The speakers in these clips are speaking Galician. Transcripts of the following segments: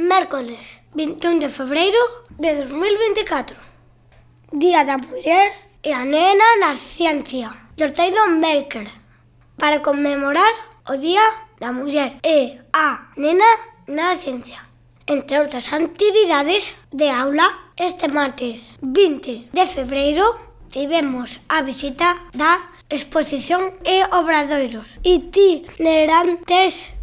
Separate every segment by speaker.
Speaker 1: Mércoles 21 de febreiro de 2024. Día da Muller e a Nena na Ciencia. Loteiro Maker. Para conmemorar o Día da Muller e a Nena na Ciencia. Entre outras actividades de aula, este martes 20 de febreiro tivemos a visita da exposición e obradoiros itinerantes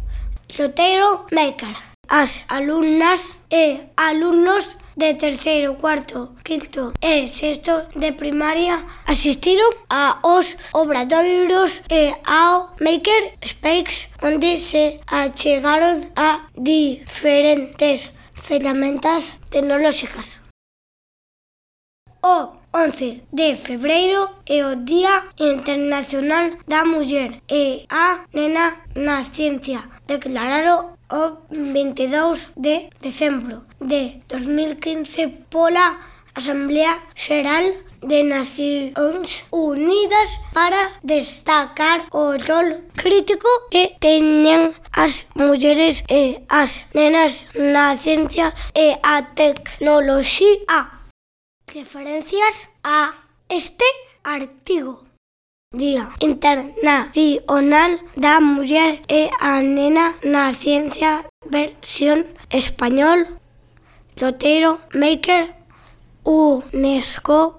Speaker 1: Loteiro Maker. As alumnas e alumnos de terceiro, cuarto, quinto e sexto de primaria asistiron aos obradoiros e ao Maker Space, onde se achegaron a diferentes ferramentas tecnolóxicas. O 11 de febreiro é o Día Internacional da Muller e a Nena na Ciencia. Declararon o 22 de decembro de 2015 pola Asamblea Xeral de Nacións Unidas para destacar o rol crítico que teñen as mulleres e as nenas na ciencia e a tecnoloxía. Referencias a este artigo. Día Internacional da Muller e a Nena na Ciencia, versión español, Loteiro Maker, UNESCO